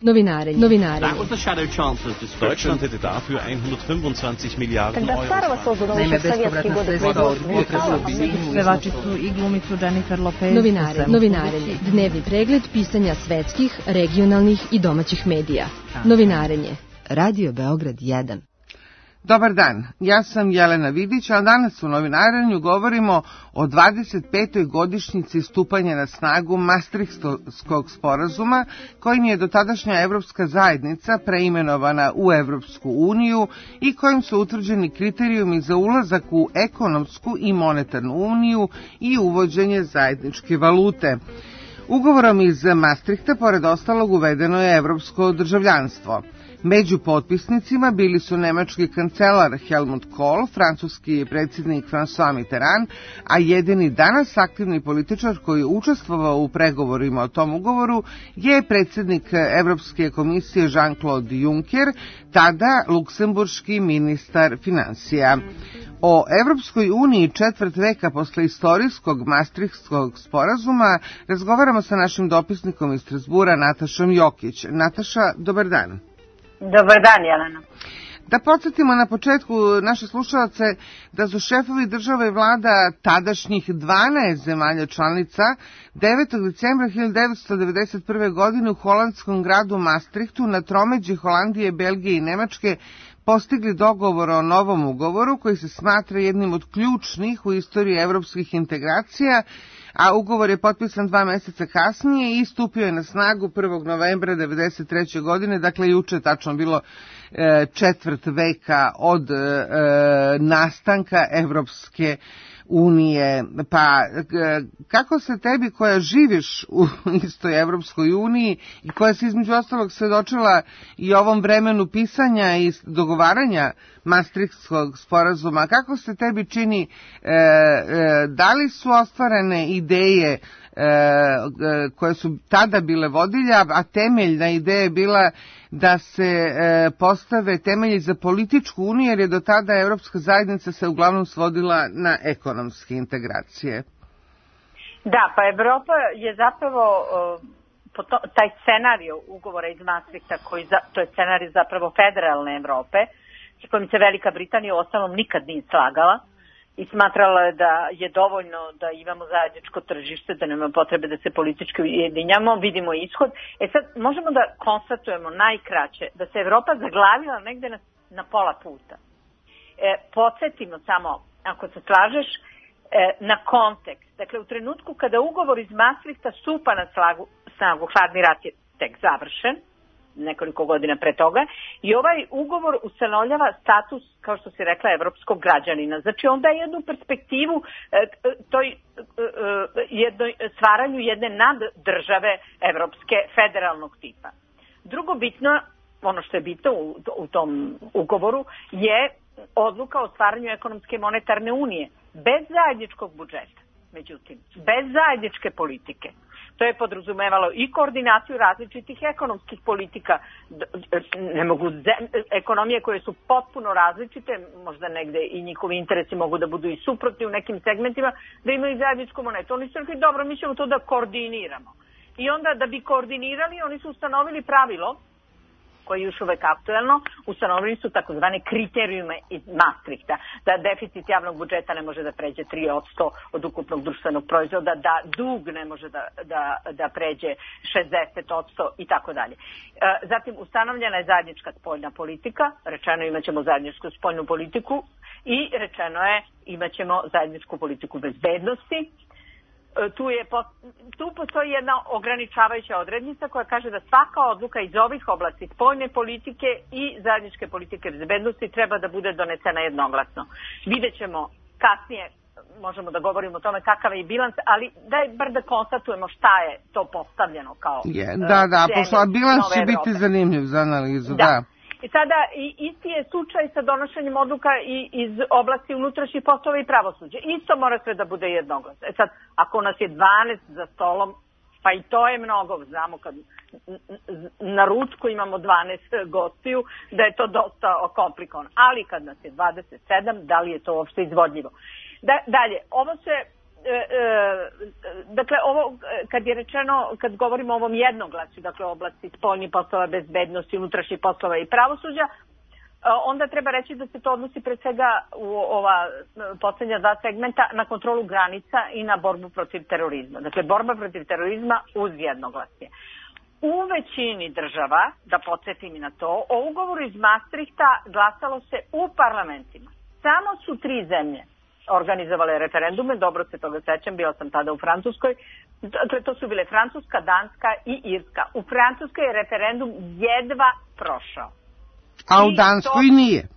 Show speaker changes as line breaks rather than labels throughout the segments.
Novinarenje.
Deutschland hätte dafür 125 Miliarden Euro.
Naime, bespovratna sredstva od pevačicu i glumicu Jennifer Lopez.
Novinarenje. Dnevni pregled pisanja svetskih, regionalnih i domaćih medija. Novinarenje.
Radio Beograd 1.
Dobar dan, ja sam Jelena Vidić, a danas u Novinarenju govorimo o 25. godišnjici stupanja na snagu Maastrichtskog sporazuma, kojim je dotadašnja Evropska zajednica preimenovana u Evropsku uniju i kojim su utvrđeni kriterijumi za ulazak u ekonomsku i monetarnu uniju i uvođenje zajedničke valute. Ugovorom iz Maastrichta, pored ostalog, uvedeno je evropsko državljanstvo. Među potpisnicima bili su nemački kancelar Helmut Kohl, francuski predsjednik François Mitterrand, a jedini danas aktivni političar koji je učestvovao u pregovorima o tom ugovoru je predsjednik Evropske komisije Jean-Claude Juncker, tada luksemburški ministar financija. O Evropskoj uniji četvrt veka posle istorijskog Maastrichtskog sporazuma razgovaramo sa našim dopisnikom iz Strasbura, Natašom Jokić. Nataša, dobar dan.
Dobar dan, Jelena.
Da podsjetimo na početku naše slušalce da su šefovi država i vlada tadašnjih 12 zemalja članica 9. decembra 1991. godine u holandskom gradu Maastrichtu na tromeđi Holandije, Belgije i Nemačke postigli dogovor o novom ugovoru koji se smatra jednim od ključnih u istoriji evropskih integracija, a ugovor je potpisan 2 meseca kasnije i stupio je na snagu 1. novembra 1993. godine, dakle juče tačno bilo četvrt veka od nastanka Evropske unije. Pa kako se tebi koja živiš u istoj Evropskoj uniji i koja se između ostalog svedočila i ovom vremenu pisanja i dogovaranja Maastrichtskog sporazuma, kako se tebi čini, da li su ostvarene ideje koje su tada bile vodilja, a temeljna ideja je bila da se postave temelji za političku uniju, jer je do tada Evropska zajednica se uglavnom svodila na ekonomske integracije.
Da, pa Evropa je zapravo taj scenario ugovora iz Maastrichta, to je scenario zapravo federalne Evrope, s kojim se Velika Britanija u ostalom nikad nije slagala i smatrala je da je dovoljno da imamo zajedničko tržište, da nema potrebe da se politički ujedinjamo, vidimo ishod. Sad možemo da konstatujemo najkraće da se Evropa zaglavila negde na pola puta. Podsjetimo samo, ako se slažeš, na kontekst. Dakle, u trenutku kada ugovor iz Maastrichta stupa na snagu, hladni rat je tek završen, nekoliko godina pre toga, i ovaj ugovor ustanovljava status, kao što si rekla, evropskog građanina. Znači, on daje jednu perspektivu stvaranju jedne naddržave evropske federalnog tipa. Drugo bitno, ono što je bitno u tom ugovoru, je odluka o stvaranju ekonomske i monetarne unije, bez zajedničkog budžeta. Međutim, bez zajedničke politike. To je podrazumevalo i koordinaciju različitih ekonomskih politika. Ne mogu ekonomije koje su potpuno različite, možda negde i njihovi interesi mogu da budu i suprotni u nekim segmentima, da imaju zajedničku monetu. Oni su rekli, dobro, mi ćemo to da koordiniramo. I onda da bi koordinirali, oni su ustanovili pravilo, koje je još uvek aktuelno, ustanovili su takozvane kriterijume iz Maastrichta, da deficit javnog budžeta ne može da pređe 3% od ukupnog društvenog proizvoda, da dug ne može da pređe 60% i tako dalje. Zatim ustanovljena je zajednička spoljna politika, rečeno imaćemo zajedničku spoljnu politiku i rečeno je imaćemo zajedničku politiku bezbednosti. Tu postoji jedna ograničavajuća odrednica koja kaže da svaka odluka iz ovih oblasti spoljne politike i zajedničke politike bezbednosti treba da bude donesena jednoglasno. Vidjet ćemo kasnije, možemo da govorimo o tome kakav je bilans, ali daj bar da konstatujemo šta je to postavljeno kao
pošto bilans će biti zanimljiv za analizu, da.
I sada isti je slučaj sa donošenjem odluka iz oblasti unutrašnjih poslova i pravosuđa. Isto mora sve da bude jednoglasno. Sad, ako nas je 12 za stolom, pa i to je mnogo, znamo kad na ručku imamo 12 gostiju, da je to dosta komplikovano. Ali kad nas je 27, da li je to uopšte izvodljivo? Dalje, ovo se dakle, ovo, kad je rečeno, kad govorimo o ovom jednoglasju, dakle, oblasti spoljnih poslova, bezbednosti, unutrašnjih poslova i pravosuđa, onda treba reći da se to odnosi pre svega u ova poslednja dva segmenta na kontrolu granica i na borbu protiv terorizma. Dakle, borba protiv terorizma uz jednoglasje. U većini država, da podsjetim i na to, o ugovoru iz Maastrichta glasalo se u parlamentima. Samo su 3 zemlje organizovale referendume, dobro se toga sećam, bila sam tada u Francuskoj, to su bile Francuska, Danska i Irska. U Francuskoj je referendum jedva prošao.
A u Danskoj nije?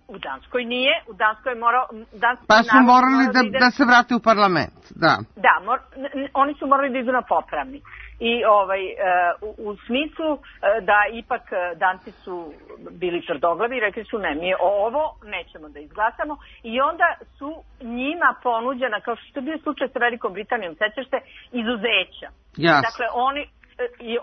U Danskoj nije, u Danskoj je morao...
Pa su morali da se vrate u parlament, da.
Da, oni su morali da idu na popravni. I u smislu da ipak Danci su bili tvrdoglavi i rekli su ne, mi ovo nećemo da izglasamo i onda su njima ponuđena, kao što je bio slučaj sa Velikom Britanijom, sećaš se, izuzeća.
Yes.
Dakle,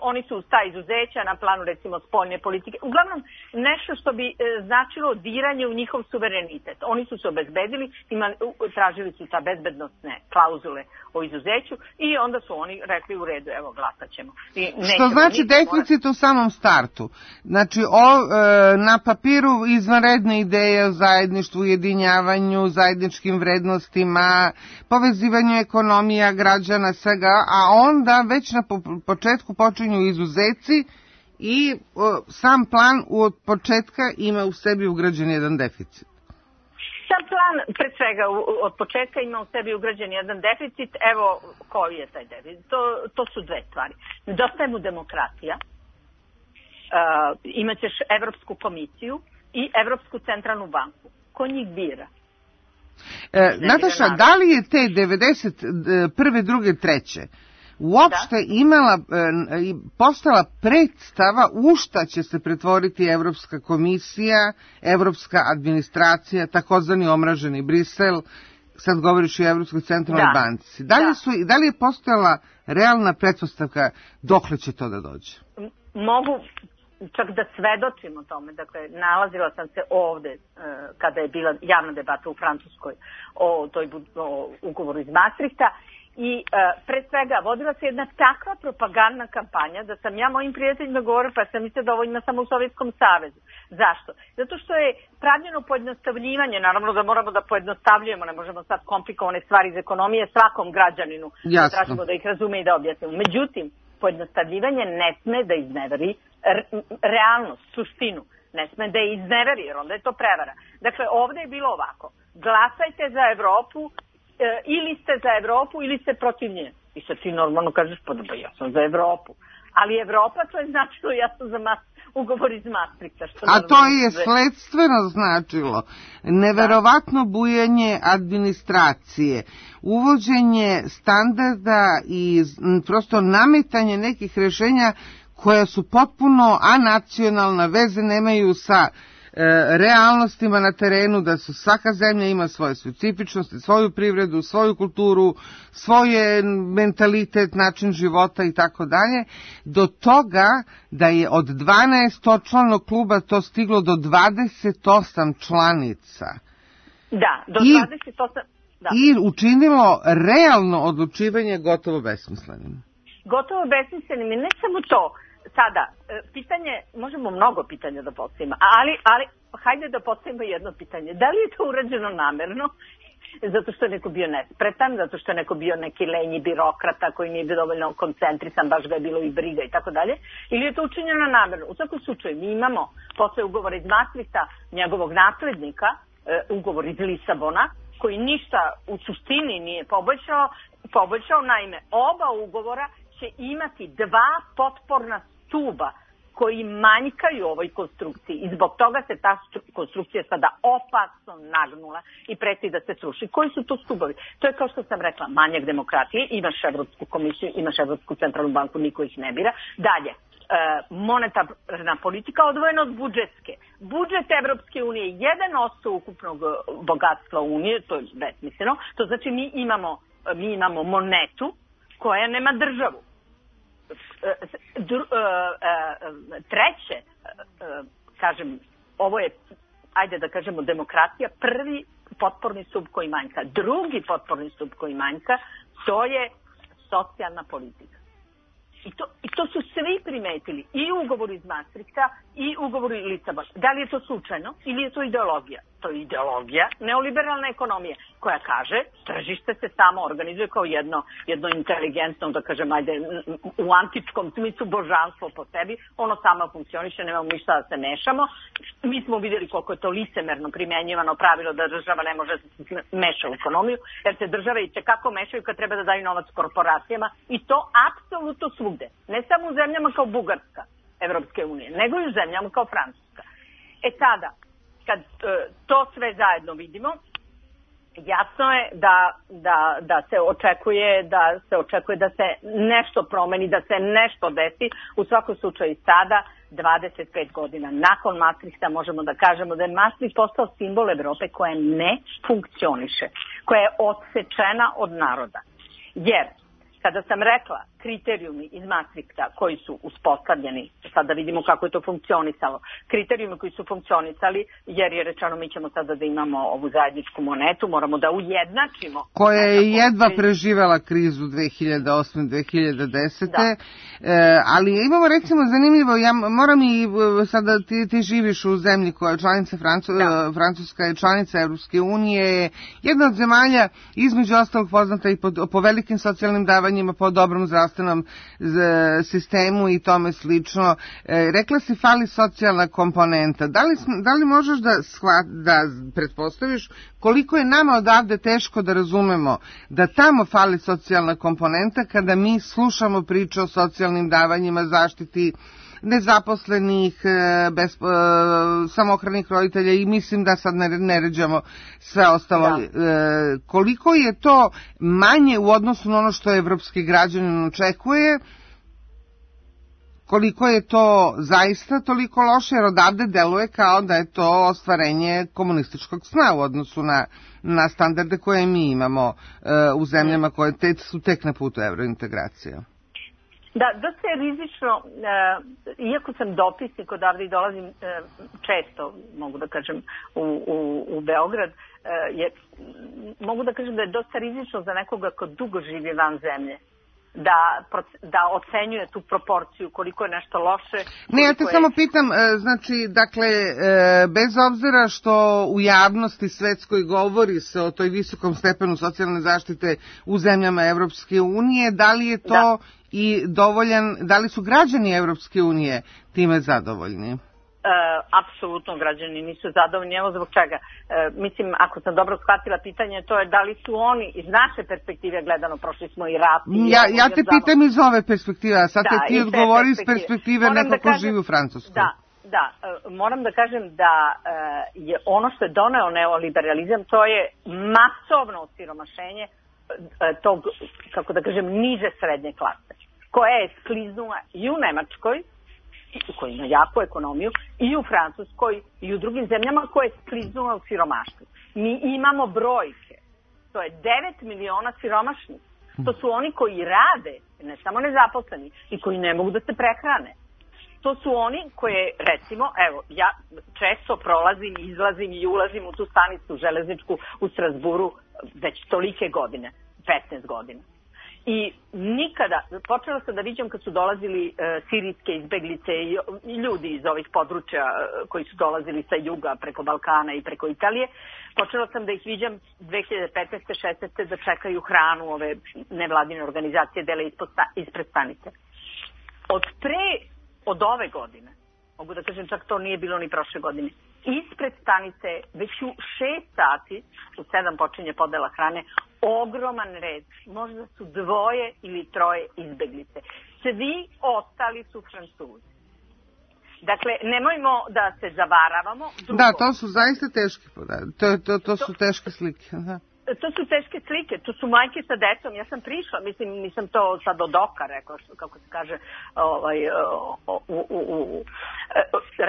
oni su ta izuzeća na planu recimo spoljne politike. Uglavnom nešto što bi značilo diranje u njihov suverenitet. Oni su se obezbedili, tražili su ta bezbednostne klauzule o izuzeću i onda su oni rekli u redu, evo glasat ćemo.
Što znači deficit u samom startu. Znači na papiru izvanredne ideje o zajedništvu, ujedinjavanju, zajedničkim vrednostima, povezivanju ekonomija, građana, svega, a onda već na početku počinju izuzeci i sam plan od početka ima u sebi ugrađen jedan deficit.
Sam plan, pred svega, od početka ima u sebi ugrađen jedan deficit. Evo koji je taj deficit. To su dve stvari. Nedostaje mu demokratija. Imaćeš Evropsku komisiju i Evropsku centralnu banku. Ko njih bira?
Nataša, da li je te 91. 2. 3. uopšte postala predstava u šta će se pretvoriti Evropska komisija, Evropska administracija, takozvani omraženi Brisel, sad govoriš i o Evropskoj centralnoj banci. Da li je postojala realna pretpostavka dokle će to da dođe?
Mogu čak da svedočim o tome. Dakle, nalazila sam se ovde kada je bila javna debata u Francuskoj o ugovoru iz Maastrichta. I pre svega vodila se jedna takva propagandna kampanja da sam ja mojim prijateljima govorila pa sam mislila da ovo ima samo u Sovjetskom savezu. Zašto? Zato što je pravljeno pojednostavljivanje, naravno da moramo da pojednostavljujemo, ne možemo sad komplikovane stvari iz ekonomije svakom građaninu, da tražimo da ih razume i da objasnimo. Međutim, pojednostavljivanje ne sme da izneveri realnost, suštinu, ne sme da je izneveri jer onda je to prevara. Dakle, ovde je bilo ovako, glasajte za Evropu, ili ste za Evropu ili ste protiv nje. I sad ti normalno kažeš, pa ja sam za Evropu. Ali Evropa, to je značilo, ja sam za ugovor iz Maastrichta.
A to je sledstveno značilo. Neverovatno bujanje administracije, uvođenje standarda i prosto nametanje nekih rešenja koja su potpuno anacionalna, veze nemaju sa realnostima na terenu, da su svaka zemlja ima svoje specifičnosti, svoju privredu, svoju kulturu, svoje mentalitet, način života i tako dalje, do toga da je od 12 članov kluba to stiglo do 28 članica.
Da, do 28. Da.
I učinilo realno odlučivanje gotovo besmislenim.
Gotovo besmislenim i ne samo to. Sada, pitanje, možemo mnogo pitanja da postavimo, ali hajde da postavimo jedno pitanje. Da li je to urađeno namerno? Zato što je neko bio nespretan, zato što je neko bio neki lenji birokrata koji nije bio dovoljno koncentrisan, baš ga je bilo i briga i tako dalje, ili je to učinjeno namerno? U svakom slučaju, mi imamo posle ugovora iz Maastrichta njegovog naslednika, ugovor iz Lisabona, koji ništa u suštini nije poboljšao, naime, oba ugovora će imati dva potporna stuba koji manjkaju u ovoj konstrukciji i zbog toga se ta konstrukcija sada opasno nagnula i preti da se sruši. Koji su to stubovi? To je kao što sam rekla, manjak demokratije, imaš Evropsku komisiju, imaš Evropsku centralnu banku, niko ih ne bira. Dalje, monetarna politika odvojena od budžetske. Budžet Evropske unije je 1% ukupnog bogatstva Unije, to je besmisleno. To znači mi imamo monetu koja nema državu. Treće, kažem, ovo je, ajde da kažemo, demokratija, potporni stup koji manjka. Drugi potporni stup koji manjka, to je socijalna politika. I to su svi primetili, i ugovor iz Maastrichta i ugovor iz Lisabona. Da li je to slučajno ili je to ideologija? To je ideologija neoliberalne ekonomije koja kaže tržište se samo organizuje kao jedno inteligentno, da kažem, ajde, u antičkom smislu božanstvo po sebi, ono samo funkcioniše, nemamo ništa da se mešamo. Mi smo vidjeli koliko je to licemerno primenjivano pravilo da država ne može da se meša u ekonomiju, jer se države i tekako mešaju kad treba da daju novac korporacijama i to apsolutno svugde. Ne samo u zemljama kao Bugarska Evropske unije, nego i u zemljama kao Francuska. Sada, kad to sve zajedno vidimo, jasno je da se očekuje da se nešto promeni, da se nešto desi. U svakom slučaju sada, 25 godina nakon Maastrichta, možemo da kažemo da je Maastricht postao simbol Evrope koja ne funkcioniše, koja je odsečena od naroda. Jer kada sam rekla kriterijumi iz Maastrichta koji su uspostavljeni, sada vidimo kako je to funkcionisalo, kriterijumi koji su funkcionisali, jer je rečeno mi ćemo sada da imamo ovu zajedničku monetu, moramo da ujednačimo.
Koja je jedva preživela krizu 2008-2010. Da. Ali imamo recimo zanimljivo, ja moram i sada ti živiš u zemlji koja je članica Francuska je članica Evropske unije, jedna od zemalja između ostalog poznata i po velikim socijalnim davanjima, po dobrom zdravstvenom sistemu i tome slično. Rekla si fali socijalna komponenta. Da li možeš da pretpostaviš koliko je nama odavde teško da razumemo da tamo fali socijalna komponenta kada mi slušamo priče o socijalnim davanjima, zaštiti nezaposlenih, samohranih roditelja i mislim da sad ne ređamo sve ostalo. Da. Koliko je to manje u odnosu na ono što evropski građanin očekuje, koliko je to zaista toliko loše, jer odavde deluje kao da je to ostvarenje komunističkog sna u odnosu na standarde koje mi imamo u zemljama koje su tek na putu evrointegracije.
Da, dosta je rizično, iako sam dopisnik odavde i dolazim često, mogu da kažem, u Beograd, mogu da kažem da je dosta rizično za nekoga ko dugo živi van zemlje, da ocenjuje tu proporciju, koliko je nešto loše.
Ne, ja te samo pitam, znači, dakle, bez obzira što u javnosti svetskoj govori se o toj visokom stepenu socijalne zaštite u zemljama Evropske unije, da li je to i dovoljan, da li su građani Evropske unije time zadovoljni?
Apsolutno građani nisu zadovoljni, evo zbog čega. Mislim, ako sam dobro shvatila pitanje, to je da li su oni iz naše perspektive gledano, prošli smo i rat.
Ja te pitam iz ove perspektive, a sad te ti odgovori iz perspektive neko ko živi u Francuskoj.
Da, moram da kažem da je ono što je doneo neoliberalizam, to je masovno osiromašenje tog, kako da kažem, niže srednje klase, koja je skliznula i u Nemačkoj, koji ima jaku ekonomiju, i u Francuskoj i u drugim zemljama koje je skliznula u siromaštvu. Mi imamo brojke. To je 9 miliona siromašnih. To su oni koji rade, ne samo nezaposleni, i koji ne mogu da se prehrane. To su oni koje, recimo, evo, ja često prolazim, izlazim i ulazim u tu stanicu železničku u Strasburu već tolike godine, 15 godina. I nikada, počela sam da viđam kad su dolazili sirijske izbeglice i ljudi iz ovih područja koji su dolazili sa juga preko Balkana i preko Italije, počela sam da ih viđam 2015. 16. da čekaju hranu, ove nevladine organizacije dele ispred stanice. Od ove godine, mogu da kažem čak to nije bilo ni prošle godine, ispred stanice već u 6 sati, u 7 počinje podela hrane, ogroman red, možda su 2 ili 3 izbeglice. Svi ostali su Francuzi. Dakle, nemojmo da se zavaravamo. Drugo,
da, to su zaista teške podatke. To su teške slike. Da.
To su teške slike, to su majke sa decom. Ja sam prišla, mislim, nisam to sad od oka rekla, kako se kaže,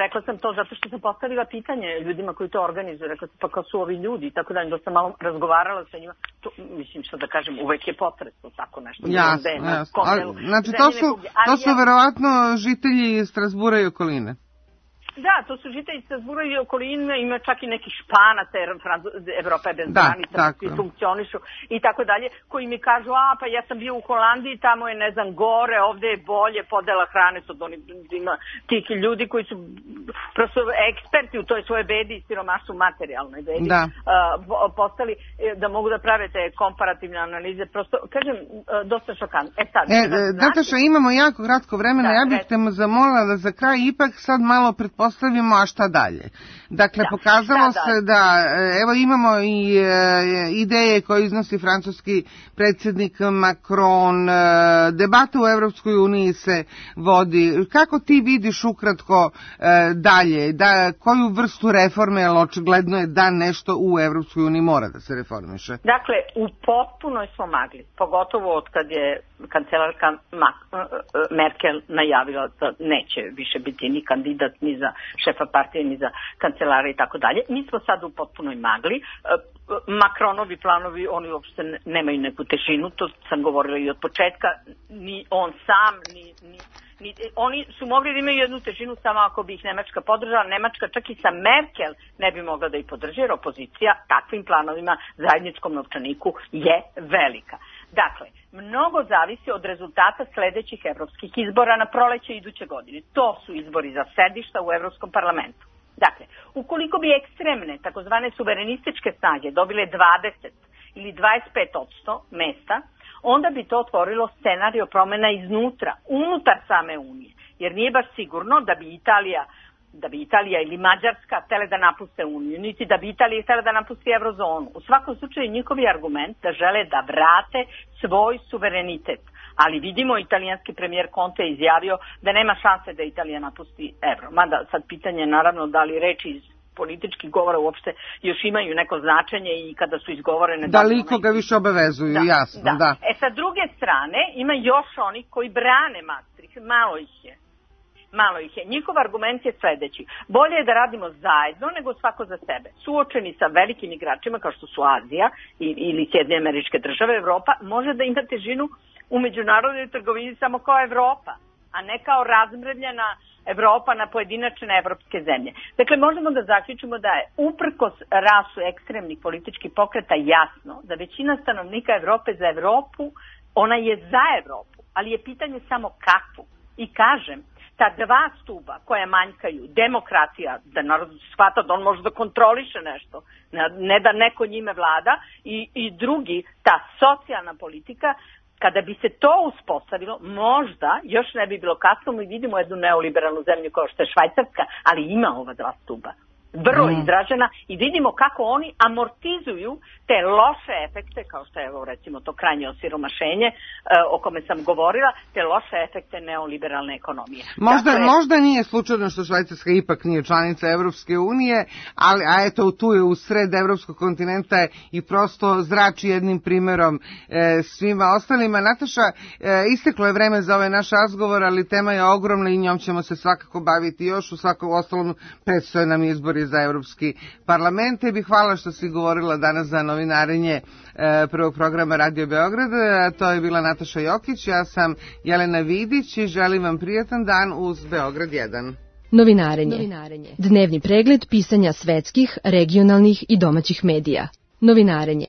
rekla sam to zato što sam postavila pitanje ljudima koji to organizuju, rekla sam pa kao su ovi ljudi, tako da sam malo razgovarala sa njima, to, mislim što da kažem, uvek je potresno tako nešto.
Jasno. Znači to su verovatno žitelji Strasbura i okoline.
Da, to su žitelji Strasbura i okoline, ima čak i neki Španaca, jer Evropa je bez granica, svi funkcionišu i tako dalje, koji mi kažu, pa ja sam bio u Holandiji, tamo je, ne znam, gore, ovde je bolje, podela hrane su tih ljudi koji su prosto eksperti u toj svoje bedi i siromaštvu materijalnoj bedi postali da mogu da prave te komparativne analize, prosto, kažem, dosta šokantno.
Nataša, imamo jako kratko vremena, ja bih te zamolila da za kraj ipak sad malo pretpostavimo, a šta dalje. Dakle, pokazalo se da, evo imamo i ideje koje iznosi francuski predsjednik Macron, debata u Evropskoj uniji se vodi. Kako ti vidiš ukratko dalje, koju vrstu reforme, jer očigledno je da nešto u Evropskoj uniji mora da se reformiše?
Dakle, u potpunoj smo magli, pogotovo od kad je kancelarka Merkel najavila da neće više biti ni kandidat ni za šefa partije, ni za kancelara i tako dalje. Mi smo sad u potpunoj magli. Macronovi planovi, oni uopšte nemaju neku težinu, to sam govorila i od početka, ni on sam, oni su mogli da imaju jednu težinu samo ako bi ih Nemačka podržala. Nemačka čak i sa Merkel ne bi mogla da ih podrži, jer opozicija takvim planovima zajedničkom novčaniku je velika. Dakle, mnogo zavisi od rezultata sledećih evropskih izbora na proleće iduće godine. To su izbori za sedišta u Evropskom parlamentu. Dakle, ukoliko bi ekstremne, takozvane suverenističke snage dobile 20 ili 25% mesta, onda bi to otvorilo scenario promena iznutra, unutar same Unije. Jer nije baš sigurno da bi Italija ili Mađarska htjele da napuste Uniju, niti da bi Italija htjela da napusti Eurozonu. U svakom slučaju njihovi argument da žele da vrate svoj suverenitet. Ali vidimo, italijanski premijer Conte je izjavio da nema šanse da Italija napusti euro. Mada sad pitanje je naravno da li reči iz političkih govora uopšte još imaju neko značenje i kada su izgovorene...
Da li koga više obavezuju, jasno, da.
Sa druge strane, ima još onih koji brane Maastricht, malo ih je. Njihov argument je sledeći. Bolje je da radimo zajedno nego svako za sebe. Suočeni sa velikim igračima kao što su Azija ili Sjedinjene Američke Države, Evropa može da ima težinu u međunarodnoj trgovini samo kao Evropa, a ne kao razmrvljena Evropa na pojedinačne evropske zemlje. Dakle, možemo da zaključimo da je uprkos rasu ekstremnih političkih pokreta jasno da većina stanovnika Evrope za Evropu, ona je za Evropu, ali je pitanje samo kakvu. I kažem, ta dva stuba koja manjkaju, demokratija, da narod shvata da on može da kontroliše nešto, ne da neko njime vlada, i drugi, ta socijalna politika, kada bi se to uspostavilo, možda još ne bi bilo kasno, mi vidimo jednu neoliberalnu zemlju kao što je Švajcarska, ali ima ova dva stuba. Vrlo izražena i vidimo kako oni amortizuju te loše efekte, kao što je evo recimo to krajnje osiromašenje o kome sam govorila, te loše efekte neoliberalne ekonomije.
Možda nije slučajno što Švajcarska ipak nije članica Evropske unije, a eto tu je u sred evropskog kontinenta i prosto zrači jednim primerom svima ostalima. Nataša, isteklo je vreme za ovaj naš razgovor, ali tema je ogromna i njom ćemo se svakako baviti još. U svakom ostalom predstoje nam izbori za Evropski parlament. Tebi hvala što si govorila danas za novinarenje prvog programa Radio Beograd. To je bila Nataša Jokić, ja sam Jelena Vidić i želim vam prijatan dan uz Beograd 1.
Novinarenje. Dnevni pregled pisanja svetskih, regionalnih i domaćih medija. Novinarenje.